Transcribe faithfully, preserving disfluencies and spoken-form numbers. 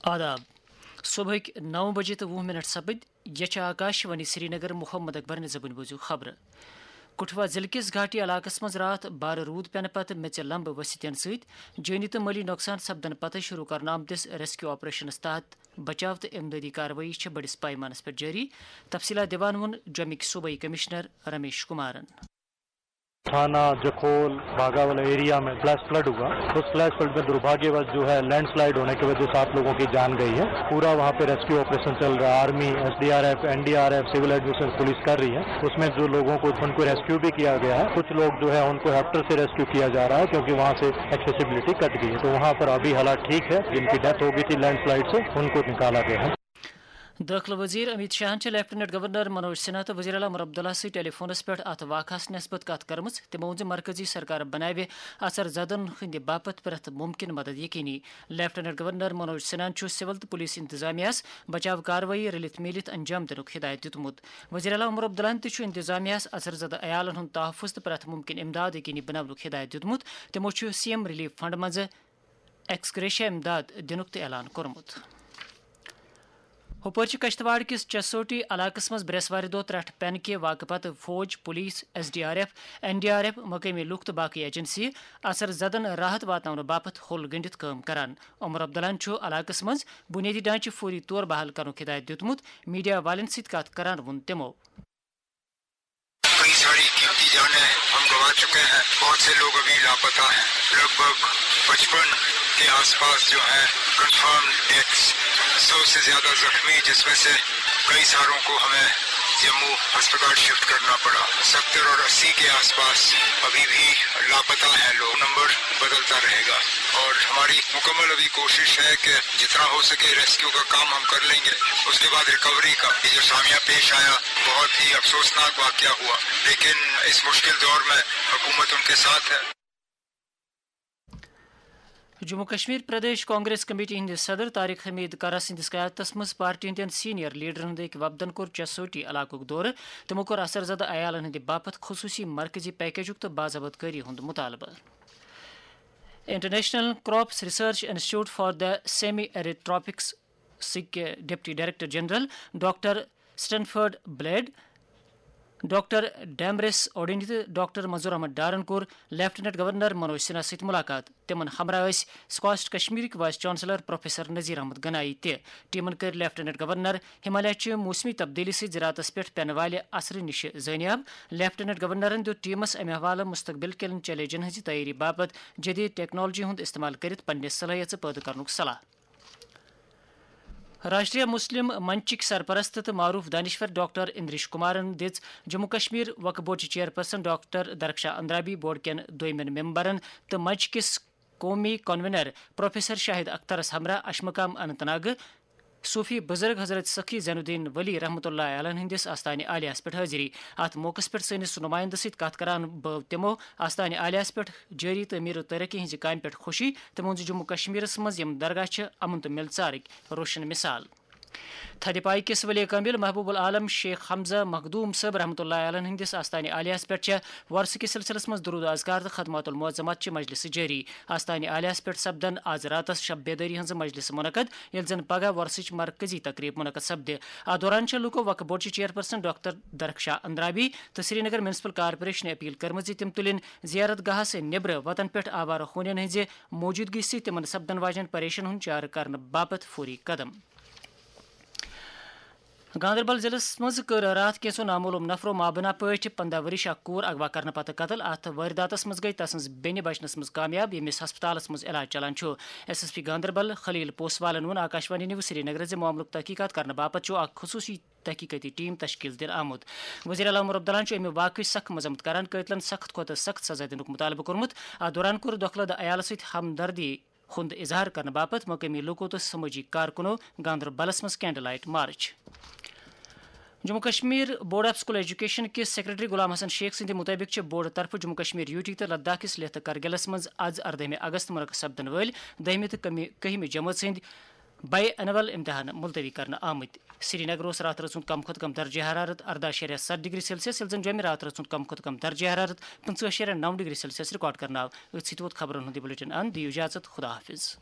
آداب۔ صبحٕکۍ نو بجے تہٕ وُہ منٹ سپٕدۍ۔ یہِ چھِ آکاش وانی سرینگر۔ محمد اکبر نِزبٕنۍ بوٗزِو خبرٕ۔ کٹھوا ضلعہٕ کِس گھاٹی علاقس منٛز راتھ بارٕ روٗد پٮ۪نہٕ پتہٕ میٚژِ لمبہٕ ؤسِتھ یِنہٕ سۭتۍ جٲنی تہٕ مٲلی نۄقصان سپدنہٕ پتہٕ شروٗع کرنہٕ آمتِس ریسکیو آپریشنس تحت بچاو تہٕ امدادی کاروٲیی چھِ بٔڑِس پیمانس پٮ۪ٹھ جٲری۔ تفصیلات دِوان ووٚن جوٚمِکۍ صوبٲئی کمشنر رمیش کمارن۔ تھانہ جکھول باغا والا ایریا میں فلیش فلڈ ہوا۔ اس فلیش فلڈ میں دربھاگیہ وش جو ہے لینڈ سلائیڈ ہونے کی وجہ سے آپ لوگوں کی جان گئی ہے۔ پورا وہاں پہ ریسکیو آپریشن چل رہا ہے، army, S D R F, N D R F, civil administration police کر رہی ہے۔ اس میں جو لوگوں کو، ان کو ریسکیو بھی کیا گیا ہے، کچھ لوگ جو ہے ان کو ہیپٹر سے ریسکیو کیا جا رہا ہے کیونکہ وہاں سے ایکسیسیبلٹی کٹ گئی ہے۔ تو وہاں پر ابھی حالات ٹھیک ہے، جن کی ڈیتھ ہو گئی تھی لینڈ سلائیڈ سے، ان کو نکالا گیا ہے۔ دٲخلہٕ وزیر امیت شاہن چھِ لیفٹیننٹ گورنر منوج سنہا تہٕ وزیر اعلیٰ عمر عبداللہ سۭتۍ ٹیلی فونس پٮ۪ٹھ اتھ واقعس نسبت کتھ کٔرمٕژ۔ تِمو ووٚن زِ مرکزی سرکار بناوِ اثر زدن ہٕنٛدِ باپتھ پرٛٮ۪تھ مُمکِن مدد یقینی۔ لیفٹیننٹ گورنر منوج سنہن چھُ سول تہٕ پولیس انتظامیہس بچاو کاروٲیی رٔلِتھ میٖلِتھ انجام دِنُک ہدایت دِیُتمُت۔ وزیر اعلیٰ عمر عبداللہن تہِ چھُ انتظامیہس اثر زدٕ عیالن ہُنٛد تحفظ تہٕ پرٛٮ۪تھ مُمکِن امداد یقینی بناونُک ہدایت دِیُتمُت۔ تِمو چھُ سی ایم ریلیف فنڈ منٛزٕ ایکس گریشیا امداد دِنُک تہِ اعلان کوٚرمُت۔ ہُپٲرۍ چھِ کشتواڑ کِس چسوٹی علاقس منٛز برٛٮ۪سوارِ دۄہ ترٛٹھ پٮ۪نہٕ کہِ واقعہٕ پتہٕ فوج، police, S D R F, N D R F, مقٲمی لوٗکھ تہٕ باقٕے ایجنسی اثر زدن راحت واتناونہٕ باپتھ ہوٚل گٔنٛڈِتھ کٲم کران۔ عمر عبداللہن چھُ علاقس منٛز بنیٲدی ڈھانچہٕ فوری طور بحال کرنُک ہدایت دِیُتمُت۔ میڈیا والٮ۪ن سۭتۍ کتھ کران ووٚن تِمو۔ کئی ساری قیمتی جانیں ہم گنوا چکے ہیں، بہت سے لوگ ابھی لاپتہ ہیں، لگ بھگ پچپن کے آس پاس جو ہیں کنفرم ڈیتھس، سو سے زیادہ زخمی، جس میں سے کئی ساروں کو ہمیں جموں ہسپتال شفٹ کرنا پڑا۔ ستر اور اسی کے آس پاس ابھی بھی لاپتہ ہیں لوگ، نمبر بدلتا رہے گا اور ہماری مکمل ابھی کوشش ہے کہ جتنا ہو سکے ریسکیو کا کام ہم کر لیں گے۔ اس کے بعد ریکوری کا یہ جو سامیہ پیش آیا، بہت ہی افسوسناک واقعہ ہوا، لیکن اس مشکل دور میں حکومت ان کے ساتھ ہے۔ جموں کشمیر پردیش کانگریس کمیٹی ہٕنٛدِ صدر طارق حمید کرہ سٕنٛدِس قیادتس منٛز پارٹی ہٕنٛدٮ۪ن سینئر لیڈرن ہٕنٛدۍ أکۍ وفدن کوٚر چسوٹی علاقُک دورٕ۔ تِمو کوٚر اثر زدٕ عیالن ہٕنٛدِ باپتھ خصوٗصی مرکزی پیکیجُک تہٕ باضابطہ کٲری ہُنٛد مطالبہٕ۔ International Crops Research Institute for the Semi Arid Tropics سٕکۍ deputy director general doctor Stanford Blade, doctor Damaris Odeny تہٕ ڈاکٹر منظور احمد ڈارن کوٚر لیفٹیننٹ گورنر منوج سنہا سۭتۍ ملاقات۔ تِمن ہمراہ ٲسۍ سکاسٹ کشمیرٕکۍ vice chancellor professor Nazir Ahmad Ganaie تہِ۔ ٹیمن کٔرۍ لیفٹیننٹ گورنر ہمالیہ چہِ موسمی تبدیلی سۭتۍ زراعتس پٮ۪ٹھ پینہٕ والہِ اثرٕ نِش زٲنیاب۔ لیفٹیننٹ گورنرن دیُت ٹیمس امہِ حوالہٕ مستقبل کٮ۪ن چیلنجن ہٕنٛزِ تیٲری باپتھ جدید ٹیکنالوجی ہُنٛد استعمال کٔرِتھ پننہِ صلٲحیژٕ پٲدٕ کرنُک صلاح۔ راشٹریہ مسلم منچٕکۍ سرپرست تہٕ معروف دانشور ڈاکٹر اندریش کمارن دِژ جموں کشمیر وقف بورڈ چہِ چیئرپرسن ڈاکٹر درخشاں اندرابی، بورڈ کٮ۪ن دویمٮ۪ن ممبرن تہٕ منچ کِس قومی کنوینر پروفیسر شاہد اخترس ہمراہ اشمقام اننت ناگہٕ صوفی بزرگ حضرت سخی زین الدین ولی رحمۃ اللہ علیہ ہٕنٛدِس آستانہِ عالیہس پٮ۪ٹھ حٲضری۔ اتھ موقعس پٮ۪ٹھ سٲنِس نمائندٕ سۭتۍ کتھ کران بٲو تِمو آستانہِ عالیہس پٮ۪ٹھ جٲری تعمیٖر و ترقی ہٕنٛزِ کامہِ پٮ۪ٹھ خوشی۔ تِمو ووٚن زِ جموں کشمیرس منٛز یِم درگاہ چھِ امن تہٕ مِل ژارٕکۍ روشن مثال۔ تھدِ پایہِ کِس ولی کامل محبوب العالم شیخ حمزہ مخدوم صٲب رحمۃ اللہ علیہ ہٕنٛدِس آستانہِ عالیہس پٮ۪ٹھ چھےٚ وۄرثہٕ کِس سلسلس منٛز درود و اذکار تہٕ خدمات المعظمات چہِ مجلسہٕ جٲری۔ آستانہِ عالیہس پٮ۪ٹھ سپدن آز راتس شب بیدٲری ہٕنٛز مجلس منعقد، ییٚلہِ زن پگاہ وۄرثٕچ مرکزی تقریب منعقد سپدِ۔ اتھ دوران چھےٚ لوکو وقف بورڈ چہِ چیئرپرسن ڈاکٹر درخشاں اندرابی تہٕ سرینگر میونسپل کارپوریشن اپیل کٔرمٕژ زِ تِم تُلِن زیارت گاہس نیبرٕ وطن پٮ۪ٹھ آوارٕ ہونٮ۪ن ہٕنٛزِ موجودگی سۭتۍ تِمن سپدن واجٮ۪ن پریشن ہُنٛد چارٕ کرنہٕ باپتھ فوری قدم۔ گاندربل ضلعس منٛز کٔر راتھ کینٛژو نامعلوم نفرو مابنا پٲٹھۍ پنٛداہ ؤرِش اکھ کوٗر اغوا کرنہٕ پتہٕ قتل۔ اتھ وٲرۍداتس منٛز گٔیہِ تسٕنٛز بیٚنہِ بچنس منٛز کامیاب، ییٚمِس ہسپتالس منٛز علاج چلان چھُ۔ ایس ایس پی گاندربل خلیل پوسوالن ووٚن آکاشوانی نیوز سرینگرس زِ معاملُک تحقیقات کرنہٕ باپتھ چھُ اکھ خصوٗصی تحقیقٲتی ٹیم تشکیل دِنہٕ آمُت۔ وزیر اعلیٰ عمر عبداللہن چھُ امہِ واقعٕچ سخت مذمت کران، قٲتلن سخت کھۄتہٕ سخت سزا دِنُک مطالبہٕ کوٚرمُت۔ اتھ دوران کوٚر دۄکھٕ لدٕ عیالس سۭتۍ ہمدردی ہُنٛد اظہار کرنہٕ باپتھ مقٲمی لوٗکو تہٕ سمٲجی کارکنو گاندربلس منٛز candle light march. Jammu Kashmir board of school education کِس سیکرٹری غلام حسن شیخ سٕنٛدِ مُطٲبِق چھِ بورڈٕ طرفہٕ جموں کشمیر یوٗ ٹی تہٕ لداخ کِس لیتھٕ کرگِلس منٛز از اردٲہمہِ اگست منعقد سپدن وٲلۍ دٔہمہِ تہٕ کٔہمہِ جمٲژ ہٕنٛدۍ بی اینول امتحان ملتوی کرنہٕ آمٕتۍ۔ سرینگر اوس راتھ رٲژ ہُنٛد کم کھۄتہٕ کم درجہ حرارت ارداہ شیٚرِ ستھ ڈگری سیلسیس، ییٚلہِ زن جوٚمہِ راتھ رٲژ ہُنٛد کم کھۄتہٕ کم درجہ حرارت پٕنٛژٕہ شیٚرِ نو ڈگری سیلسیس ریکارڈ کرنہٕ آو۔ أتھۍ سۭتۍ ووت خبرن ہُنٛد یہِ بلیٹن اند۔ دِیِو اجازت، خدا حافظ۔